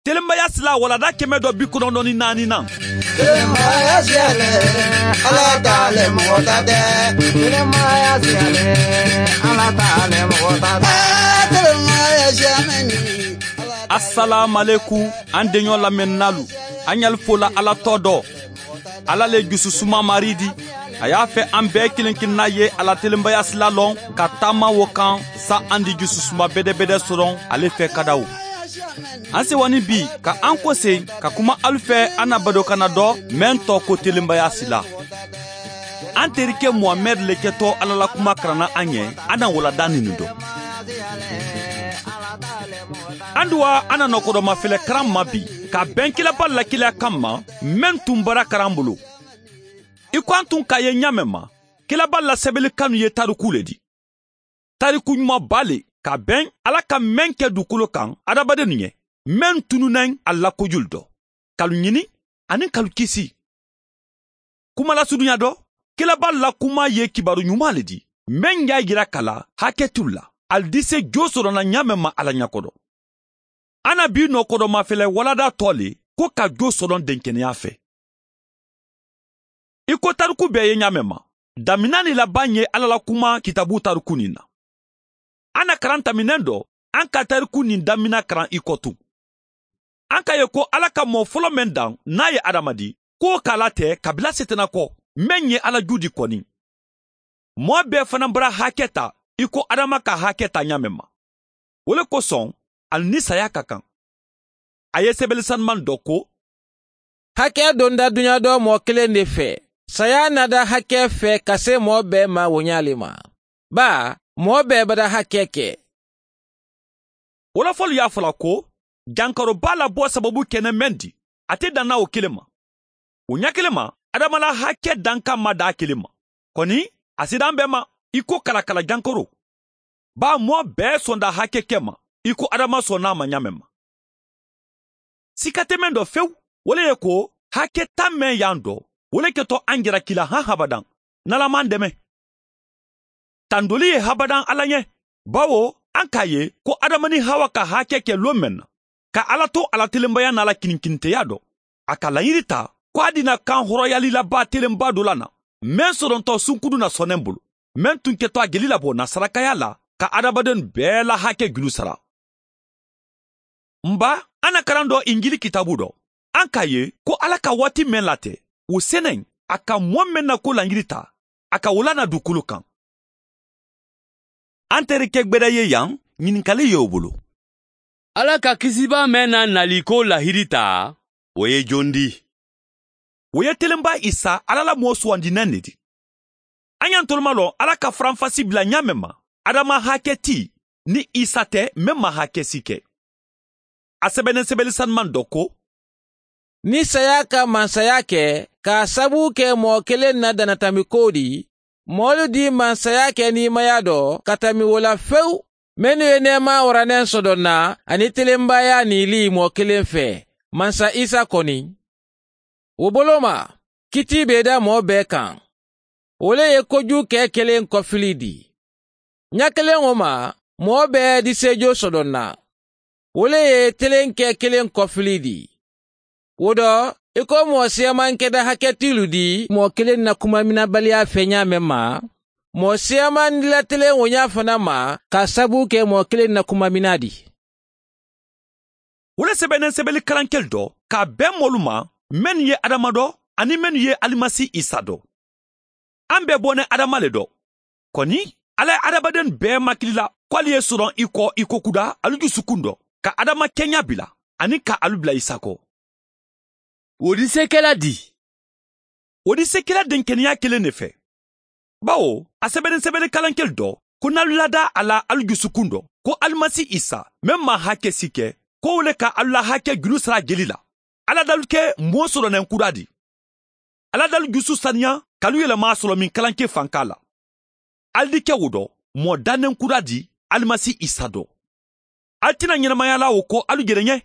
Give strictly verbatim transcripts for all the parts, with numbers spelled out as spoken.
Telenbaya sila walanda kɛmɛ dɔ bi kɔnɔntɔn ni naani nan. Telenbaya sila, Ala ta le, mɔgɔ ta tɛ. Telenbaya sila, Ala ta le, mɔgɔ ta tɛ. Telenbaya sila. Asalaamalekum, an deɲɔ lamɛnnalu, an ɲali fola Ala tɔ dɔ. Ala le jususuma Maridi, a y'a fɛ an bɛɛ kelen-kelenna ye a la telenbaya sila lɔn ka taama wo kan, sa an di jususuma bedebede sɔrɔ ale fɛ kadawo. An sewani bi ka an kosen ka kuma alu fɛ an na badokana dɔ, meŋ tɔgɔ ko telenbaya sila. An terike Muhamɛdi le kɛtɔ Ala la kuma karanna an ye, an na walanda nini dɔn. An duwa an na nɔkɔdɔmafɛlɛ karan ma bi, ka bɛn kilaba lakilaya kan ma, meŋ tun bara karan bolo. I ko an tun k'a ye ɲaamɛ ma, kilaba lasɛbɛli kanu ye tariku le di. Tariku ɲumanba le, ka bɛn Ala ka meŋ kɛ dukolo kan adamadenw ye, meŋ tununna a la kojulu dɔ, kalu ɲini ani kalu kisi. Kumalasurunya dɔ, kilaba la kuma ye kibaru ɲuman le di, meŋ y'a yira k'a la hakɛ t'u la, ali dise jo sɔrɔna ɲaamɛ ma Ala ɲakɔdɔ. An na bi nɔkɔdɔmafɛlɛ walanda tɔ le ko ka jo sɔrɔ denkeneya fɛ. I ko tariku bɛɛ ye ɲaamɛ ma, damina ni laban ye Ala la kuma kitabu tariku nin na. An na karan taminɛ dɔ, an ka tariku nin damina karan i kɔ tun. An ka ye ko Ala ka mɔɔ fɔlɔ meŋ dan, n'a ye Adama di, ko k'a la tɛ kabila Setana kɔ, meŋ ye Ala ju di kɔni. Mɔɔ bɛɛ fana bara hakɛ ta, i ko Adama ka hakɛ ta ɲaamɛ ma. Wo le kosɔn, ali ni saya ka kan. A ye sɛbɛli sanuman dɔ ko: Hakɛ donda duɲa dɔ mɔɔ kelen de fɛ. Saya nada hakɛ fɛ ka se mɔɔ bɛɛ ma wo ɲa le ma. Baa, mɔɔ bɛɛ bada hakɛ kɛ. Wolofɔlu y'a fɔ la ko, jankɔrɔba la bɔ sababu kɛnɛ meŋ di, a tɛ dan na wo kelen ma. Wo ɲa kelen ma, Adama la hakɛ dankan ma dan a kelen ma. Kɔni, a sida an bɛɛ ma, i ko kalakala jankɔrɔ. Baa, mɔɔ bɛɛ sɔnda hakɛ kɛ ma, i ko Adama sɔnna a ma ɲaamɛ ma. Sika tɛ meŋ dɔ fewu, wo le ye ko, hakɛ ta meŋ y'an dɔ, wo le kɛtɔ an jara kila han habadan, n'Ala m'an dɛmɛ. Tandoli ye habadan Ala ɲɛ, bawo an k'a ye ko Adama ni Hawa ka hakɛ kɛ lon meŋ na, ka Ala to a la telenbaya n'a la kininkiniteya dɔ, a ka laɲini ta ko a dina kan hɔrɔnyalilaba telenba dɔ la na, meŋ sɔrɔtɔ sunkudun na sɔnnen bolo, meŋ tun kɛtɔ a jeli labɔ na sarakaya la, ka adamadenw bɛɛ la hakɛ juru sara. N ba, an na karan dɔ Injili kitabu dɔ, an k'a ye ko Ala ka waati meŋ latɛ, wo sennen, a ka mɔɔ meŋ na ko laɲini ta, a ka wo la na dukolo kan. An terikɛ gbɛrɛ ye yan, ɲininkali ye o bolo. Ala ka kisibaa meŋ na nali ko lahidi ta, wo ye jon di? Wo ye telenba Isa, Ala la moo suwandinnen ne di. An ye an toloma lɔn Ala ka faranfasi bila ɲaamɛ ma, Adama hakɛ ti, ni Isa tɛ, meŋ ma hakɛ si kɛ. A sɛbɛnnen sɛbɛli sanuman dɔ ko: Ni saya ka mansaya kɛ, k'a sabu kɛ mɔɔ kelen na dannatami ko di, mɔɔlu di mansaya kɛ niimaya dɔ ka tami wo la fewu, mennu ye neema waranɛ sɔdɔnna ani telenbaya niili mɔɔ kelen fɛ, mansa Isa kɔni. Wo bolo ma, kiti be da mɔɔ bɛɛ kan. Wo le ye kojuu kɛ kelen kɔfili di. Ɲa kelen wo ma, mɔɔ bɛɛ disejo sɔdɔnna. Wo le ye telenkɛ kelen kɔfili di. Wo dɔ, i ko mɔɔ siyamankɛda hakɛ tilu di mɔɔ kelen na kumaminabaliya fɛ ɲaamɛ ma, mɔɔ siyamandila telen wo ɲa fana ma, k'a sabu kɛ mɔɔ kelen na kumamina di. Wo le sɛbɛnnen sɛbɛli kalankeli dɔ, k'a bɛn mɔɔlu ma, mennu ye Adama dɔ, ani mennu ye Alimasi Isa dɔ. An bɛɛ bɔnnen Adama le dɔ. Kɔni, Ala ye adamadenw bɛɛ makilila ko ali ye sɔrɔ i kɔ i ko kuda, alu dusukun dɔ, ka Adama kɛɲa bila, ani ka alu bila Isa kɔ. Wo disekɛla di? Wo disekɛla denkeneya kelen de fɛ. Bawo, a sɛbɛnnen sɛbɛli kalankeli dɔ, ko n'alu lada a la alu jusukun dɔ, ko Alimasi Isa, meŋ ma hakɛ si kɛ, ko wo le ka alu la hakɛ julu sara jeli la. Ala dalu kɛ moo sɔrɔnɛn kura di. Ala dalu jusu saniya, k'alu yɛlɛma a sɔrɔ min kalanke fanka la. Alu di kɛ wo dɔ, mɔɔ dannen kura di, Alimasi Isa dɔ. Alu tɛna ɲɛnamaya la wo ko alu jɛnɛ ɲɛ.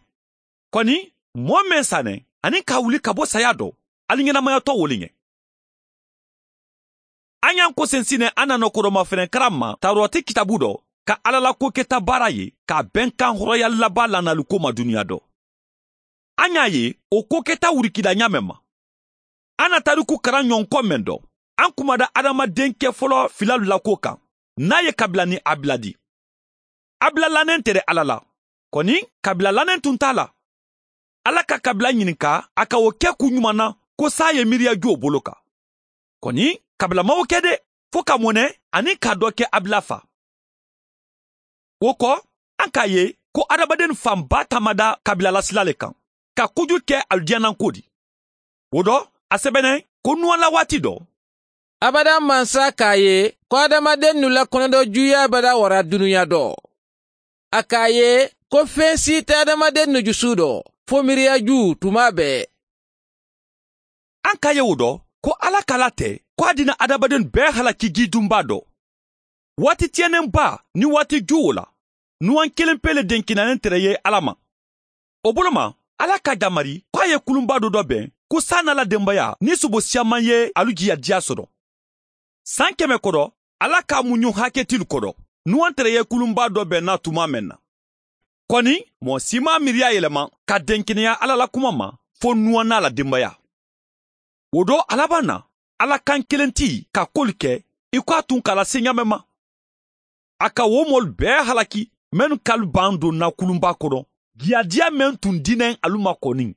Kɔni, mɔɔ meŋ sanɛ, ani k'a wuli ka bɔ saya dɔ, alu ɲɛnamayatɔ wo le ɲɛ. An y'an kosen sinɛ an na nɔkɔrɔmafɛnɛ karan ma tawurati kitabu dɔ, ka Ala la koketa baara ye, k'a bɛnkan hɔrɔnyalilaba lanaliko ma duniya dɔ. An y'a ye wo ko keta wurikila ɲaameŋ ma. An na tariku karaŋ ɲoŋ ko meŋ do, an kumada adamaden ke folo filalu la kuwo kaŋ, niŋ a ye kabila niŋ abila di. Abila laneŋ te de alla la. Koni kabila laneŋ tun te a la. Alla ka kabila ɲininka a ka wo ke ku ɲumaŋ na, ko saayiŋ miiriya juwo bolo ka. Koni kabila maŋ wo ke de, fo ka mone aniŋ ka doo ke abila fa. Wo ko, an ka a ye ko adamadennu fan baa taamada kabila lasila le kaŋ, ka kuju ke alu diyananko di. Wo do, a sebeneŋ ko nuwa la waati do, abada mansa ka a ye ko adamadennu la konodoo juuyaa bada wara duniya do. A ka a ye ko feŋ si te adamadennu jusu do, fo miiriya juu tumaa bee. An ka a ye wo do, ko alla ka la te ko a dina adamadennu bee halaki jii dunbaa do. Waati tiyenenbaa niŋ waati juuwo la, nuwaŋ keleŋ pee le denkinanaŋ tere ye alla ma. Wo bolo ma, alla ka a jamari ko a ye kulunbaa do do beŋ, ko saa niŋ a la denbaya niŋ subo siyaŋ maŋ ye alu jiyadiya soto. Saŋ keme kodo, alla ka a muɲuŋ haketilu kodo, nuwaŋ tere ye kulunbaa do beŋ na tumaa meŋ na. Koni moo si maŋ a miiriya yelema ka denkeneya alla la kuma ma, fo nuwa niŋ a la denbaya. Wo do, alabaŋ na, alla kaŋ keleŋ ti ka kolu ke i ko a tun ka a la seɲaame ma. A ka wo moolu bee halaki mennu ka alu baŋ do na kulunbaa kono, jiyadiya meŋ tun dineŋ alu ma koniŋ.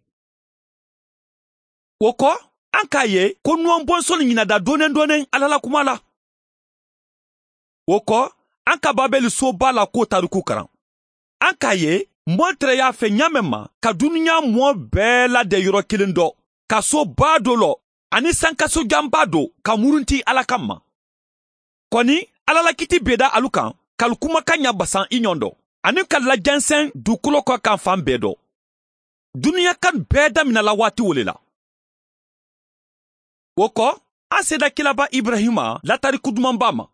Wo ko, an ka a ye ko nuwaŋ bonsonnu ɲinada dooneŋ dooneŋ alla la kuma la. Wo ko, an ka babeli soo baa la kuwo tariku karaŋ. An ka a ye moolu tereyaa fe ɲaameŋ ma ka duniyaa moo bee lade yoro kiliŋ do, ka soo baa do lo, aniŋ sankaso jambaa do ka murunti alla kamma. Koni, alla la kiti bee da alu kaŋ ka alu kumakaŋ ɲa basaŋ i ɲoŋ do, aniŋ ka alu la jenseŋ duukolo kokanfaŋ bee do. Duniya kanu bee damina la waati wo le la. Wo ko, an seeda kilaba iburayima la tariku dumanbaa ma.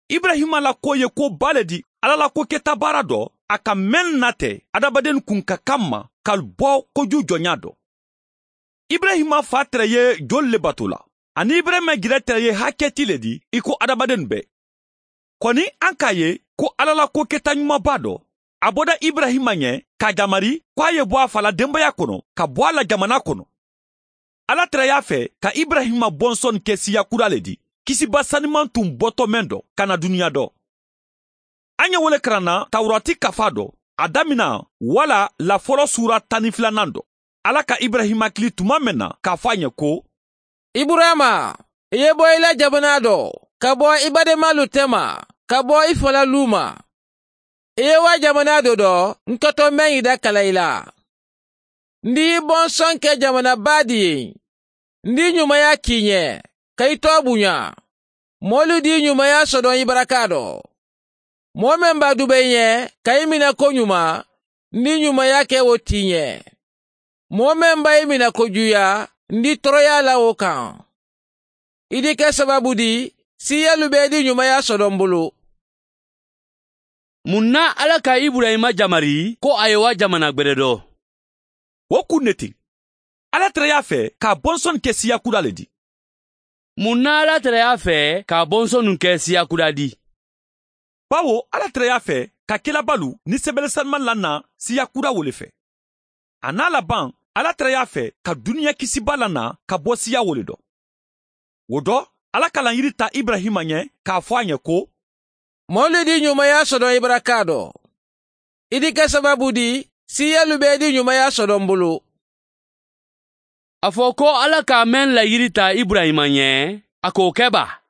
Iburayima la kuwo ye kuwo baa le di alla la kuwo keta baara do a ka mennu nate adamadennu kunka kamma ka alu bo kojuu joɲaa do. Iburayima faa tere ye jolu le bato la? Aniŋ iburayima jire tere ye hakkeeti le di i ko adamadennu bee. Koni an ka a ye ko alla la kuwo keta ɲumabaa do. A boda iburayima ɲe ka a jamari ko a ye bo a fa la denbaya kono ka bo a la jamana kono. Alla tara y'a fe ka iburayima bonsoni ke siya kura le di, kisiba sanimaŋ tun boto meŋ do ka na duniya do. A ɲe wo le karanna tawurati kafaa do, a damina wala lafolo suura tan ni filanaŋ do. Alla ka iburayima kili tuma meŋ na k'a fo a ɲe ko, iburayima, i ye bo i la jamana do, ka bo i bademaalu tema, ka bo i fa la luu ma. I ye wo jamana do do n ka to meŋ i da kala i la. N di i bonsoŋ ke jamana baa di ye. N di ɲumaya kiiɲe, ka i too buɲa. Moolu di ɲumaya sodoŋ i baraka do. Moo meŋ ba dube i ɲe ka i mina ko ɲuma, n di ɲumaya ke wo tiiɲe. Moo meŋ ba i mina ko juuya, n di toroyaa la wo kaŋ. I di ke sababu di siiyalu be i di ɲumaya sodoŋ bulu. Muŋ na alla ka iburayima jamari ko a ye wo jamana gbede do? Wo kuŋ ne ti, alla tara y'a fe ka a bonsonu ke siya kuda le di. Muŋ na alla tara y'a fe ka a bonsonu ke siya kuda di? Bawo alla tara y'a fe ka kilabalu ni sebele sanimaŋ lanna siya kuda wo le fe. A naa labaŋ, alla tara y'a fe ka duniya kisiba lanna ka bo siya wo le do. Wo do, alla ka laŋ yiri ta iburayima ɲe k'a fo a ɲe ko, moolu di ɲumaya sodoŋ i baraka do. I di ke sababu di siiyalu be i di ɲumaya sodoŋ bulu. A fo ko alla ka meŋ la yiri ta iburayima ɲe, a ka wo ke ba?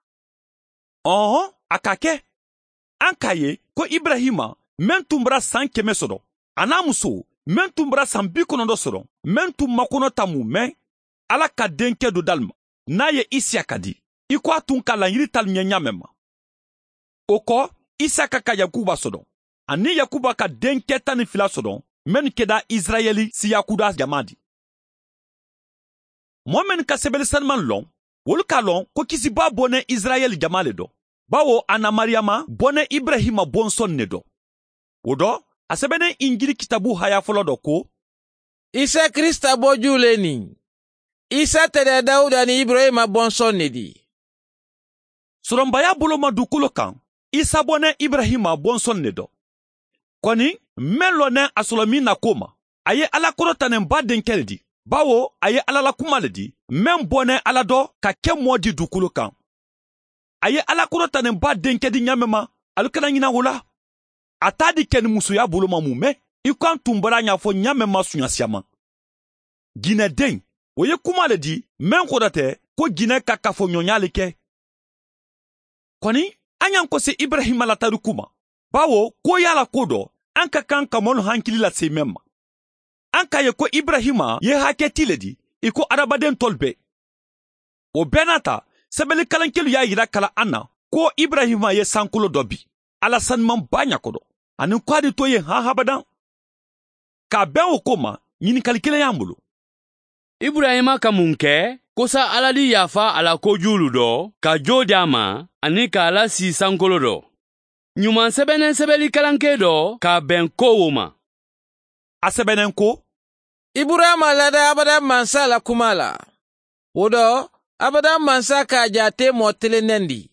Ɔɔhoŋ, a ka ke. An ka a ye ko iburayima meŋ tun bara saŋ keme sodoŋ, a naa musoo meŋ tun bara saŋ bi konondo sodoŋ, meŋ tun makono tamu meŋ alla ka denke do dali ma, niŋ a ye isiyaka di, i ko a tun ka laŋ yiri talu ɲe ɲaameŋ ma. Wo ko, isiyaka ka yakuba sodoŋ, aniŋ yakuba ka denke taŋ niŋ fila sodoŋ, mennu keda isirayeli siyakuda jamaa di. Moo mennu ka sebele sanimaŋ loŋ, wolu ka a loŋ ko kisibaa boneŋ isirayeli jamaa le do, bawo a na mariyama boneŋ iburayima bonsoni ne do. Wo do, a sebeneŋ injili kitabu haya folo do ko, isa kirisita bojuu le niŋ. Isa te de dawuda niŋ iburayima bonsoni ne di. Soronbaya bolo ma dukolo kaŋ, isa boneŋ iburayima bonsoni ne do. Koni, meŋ loneŋ a solomiŋ na ko ma, A ye ala korotanen baa denke le di, bawo a ye ala la kuma le di, meŋ boneŋ ala do ka ke moo di dukulu kaŋ. A ye ala korotanen baa denke di ñaameema. Ali kana ñina wo la. A taa di ke ni musuyaa buloma mu meŋ i ko a n tumbara a ñaafo ñaameema suñasiyama. Jinedeŋ, wo ye kuma le di meŋ kodate ko jine ka kafoñoñaali ke. Koni a ñaŋ kosi iburayima la tariku ma, bawo ko ye a la ko do a n ka kaŋ ka moolu hankili la seemeŋ ma. A n ka a ye ko iburayima ye hakkeeti le di i ko adamadentoolu bee. Wo bee naata, sebelikalankelu ye a yira kala a na ko iburayima ye sankolo do bi ala sanimaŋ baa ña kodo, aniŋ ko a di to ye haŋ habadaŋ. Ka a beŋ wo ko ma, ñinikali kiliŋ ye a bulu. Iburayima ka muŋ ke? Kosa ala di yaafa a la kojuulu do ka joo di a ma, aniŋ ka a la sii sankolo do? Ñumaŋ sebeneŋ sebeli kalankee do ka a beŋ ko wo ma. A sebeneŋ ko, iburayima lada abada mansa la kuma la. Wo do, abada mansa ka a jaatee moo telenneŋ di.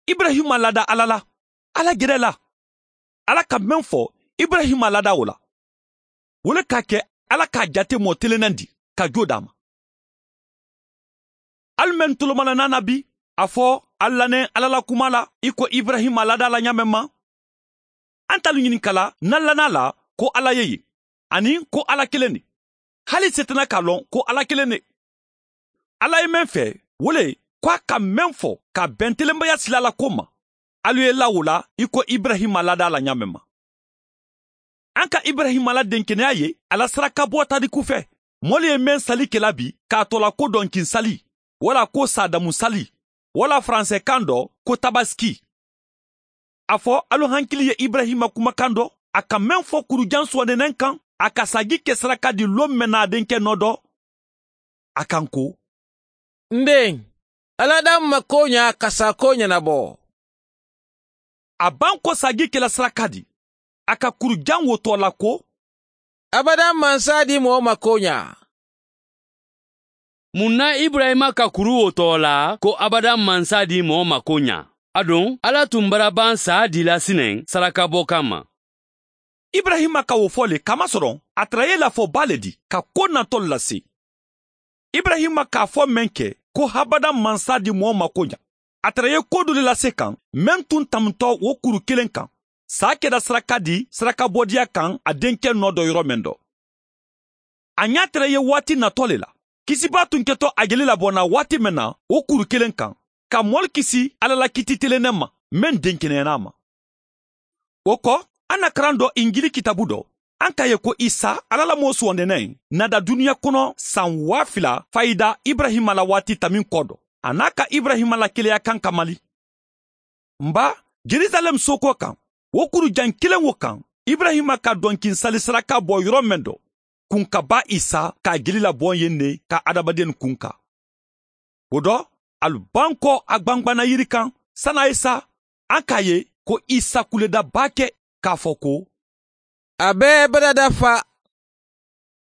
Iburayima lada ala la, ala gere la. Ala ka meŋ fo, iburayima lada wo la. Wo le ka a ke ala ka a jaatee moo telenneŋ di ka joo daa ma. Ali meŋ tolomana naana bi, a fo ali la neŋ ala la kuma la i ko iburayima lada la ñaameŋ ma. Alitaalu ñininka la n na lanaa la ko ala ye ye, aniŋ ko ala keleŋ ne. Hali i setana ka a loŋ ko ala keleŋ ne. Ala ye meŋ fee, wo le ye ko a ka meŋ fo ka a beŋ telenbaya silaa la ko ma, alu ye i laa wo la i ko iburayima lada la ñaameŋ ma. A n ka iburayima la denkeneyaa ye a la sarakaboo tariku fee. Moolu ye meŋ sali ke la bi ka a too la ko donkiŋ sali, walla ko saadamu sali, walla faranseekaŋ do ko tabasiki. A fo alu hankili ye iburayima kumakaŋ do, a ka meŋ fo kurujaŋ suwandineŋ kaŋ, a ka saagi ke saraka di loo meŋ na a denke noo do. A kaŋ ko, n deŋ, ala daŋ ma kooñaa ka saakoo ñanabo. A baŋ ko saagi ke la saraka di, a ka kurujaŋ wo too la ko, abada mansa di moo ma kooñaa. Muŋ na iburayima ka kuru wo too la ko abada mansa di moo ma kooñaa? Aduŋ, ala tumbara baŋ saa di la sineŋ sarakaboo kamma. Iburayima ka wo fo le kamasoroŋ a tara ye lafoo baa le di ka ko natoolu lase. Iburayima ka a fo meŋ ke ko habada mansa di moo ma kooñaa, a tara ye ko doolu le lase kaŋ meŋ tuŋ tamutoo wo kuru kiliŋ kaŋ, saa keda saraka di sarakabodiya kaŋ a denke noo do yoro meŋ do. A ñaa tara ye waati natoo le la, kisibaa tuŋ keto a je le laboona waati meŋ na wo kuru kiliŋ kaŋ, ka moolu kisi alla la kiiti telenneŋ ma meŋ denkeneyaana a ma. Wo ko, a na karaŋ do injili kitaabu do, a ka a ye ko isa alla la moo suwandineŋ na da duniya kono saŋ waa fila fayida iburayima la waati tamiŋ ko do, a niŋ a ka iburayima la keleya kaŋ kamali. M baa, jerusalem sookoo kaŋ, wo kuru jaŋ kiliŋ wo kaŋ, iburayima ka donkiŋ sali saraka bo yoro meŋ do, kunkabaa isa ka a jeli laboŋ ye ne ka hadamadennu kunka. Wo do, ali baŋ ko a gbangbanna yiri kaŋ sani a ye sa. A ka a ye ko isa kuleda baake, ka a fo ko, a be barada fa.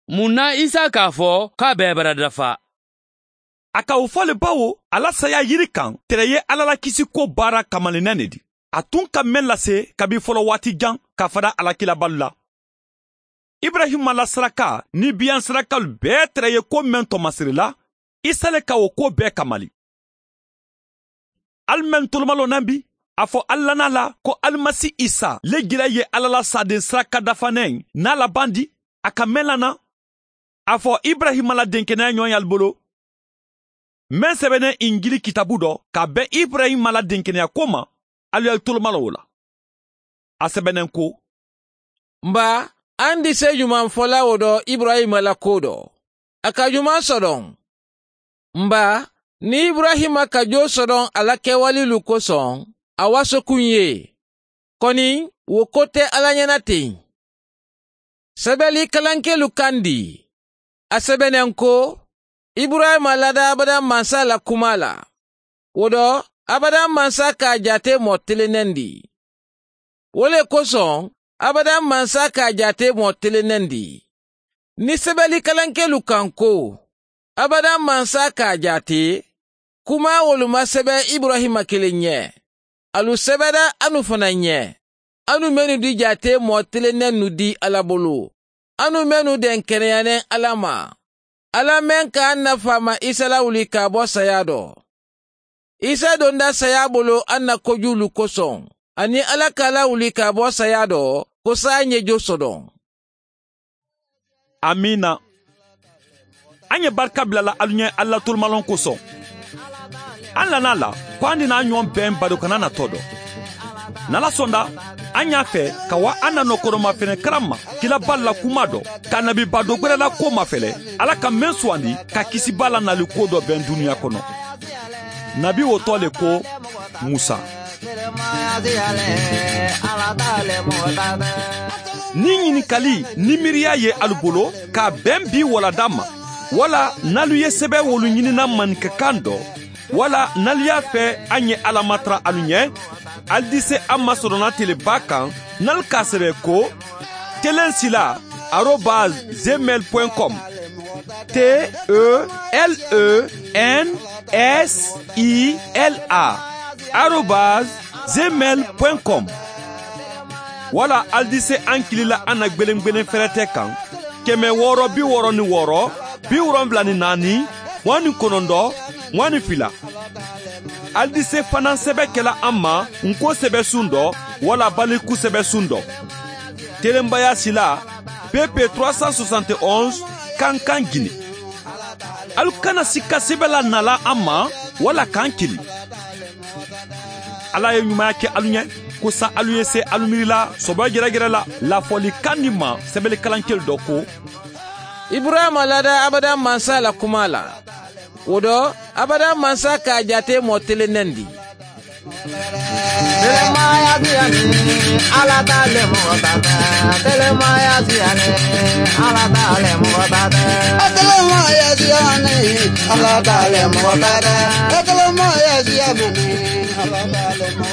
Muŋ na isa ka a fo ko a be barada fa? A ka wo fo le bawo a la saayaa yiri kaŋ tere ye alla la kisikoo baara kamalinna ne di, a tuŋ ka meŋ lase kabi folowaati jaŋ ka fada alakilabaalu la. Iburayima la saraka niŋ biyaŋ sarakalu bee tere ye ko meŋ to masiri la, isa le ka wo kuwo bee kamali. Ali meŋ tolomaloo naŋ bi, a fo ali lannaa la ko alimasi isa le jela ye alla la saadeŋ saraka dafaneŋ niŋ a la baŋ di, a ka meŋ lanna. A fo iburayima la denkeneya ñoŋ ye ali bolo, meŋ sebeneŋ injili kitaabu do ka a beŋ iburayima la denkeneya ko ma. Ali ye ali tolomaloo wo la. A sebeneŋ ko, m baa, a n dise jumaŋ fola wo do iburayima la kuwo do? A ka jumaŋ sodoŋ. M baa, niŋ iburayima ka joo sodoŋ a la kewaliilu kosoŋ, a waasokuŋ ye. Koni, wo ko te alla ñana teŋ. Sebeli kalankeelu kandi, a sebeneŋ ko, iburayima lada abada mansa la kuma la. Wo do, abada mansa ka a jaate moo telenneŋ di. Wo le kosoŋ, abada mansa ka a jaate moo telenneŋ di. Niŋ sebeli kalankeelu kaŋ ko, abada mansa ka a jaate, kuma wolu ma sebe iburayima kiliŋ ñe. Alu sebeda anu fanaŋ ñe, anu mennu di jaate moo telenneŋ nu di alla bulu. Anu mennu denkeneyanen ala ma, ala men ka an na faama isa lawuli ka bo saya do. Isa donda saya bolo an na kojuwulu koson, aniŋ ala ka lawuli ka bo saya do, ko saa ŋejo sodon. Amiina. An ye barika bila la alu ɲe, allatulumalon koson. An lana la ko an dina ɲoŋ ben bado kana na to do. Nala sonda an ɲa fe ka wa an na nokoroma fene karamma kila balla kuma do, ka nabi bado gwere la ko mafele, ala ka men suwandi ka kisi balla nali ko do ben duniya kono. Nabi wo to le ko musa. Ni ɲininkali ni miiriya ye alu bolo, ka ben bi walada ma, wala nalu ye sebe wolu ɲinina maninka kan do, wala nalu ya fe an ye ala matara alu ɲe, alu dise an ma sodona teleba kan, nalu ka sebe ko telen sila arobas gmail point com. T e l e n s i l a arobas gmail point com. Wala alu dise an kili la an na gbelengbelen ferete kan, keme wooro bi wooro ni wooro, bi wolonwula ni naani, muwaŋ ni konondo, muwaŋ ni fila. Alu dise fanaŋ sebe kela an ma nko sebe sundo, wala baliku sebe sundo. Telenbaya sila pp trois cent soixante et onze, kankan gine. Alu kana sikka sebe la nala an ma, wala kan kili. Ala ye ɲumaya ke alu ɲe, ko sa alu ye se alu miiri la sobo geragere la lafoli kan ni ma, sebeli kalankelu do ko iburayima lada abada mansa la kuma la. Wo do abada mansa ka a jaate moo tele nendi. Telemaya siyani, ala taale moo taata. Telemaya siyani, ala taale moo taata. Telemaya siyani, ala taale moo taata. Telemaya siyani, ala taale moo taata.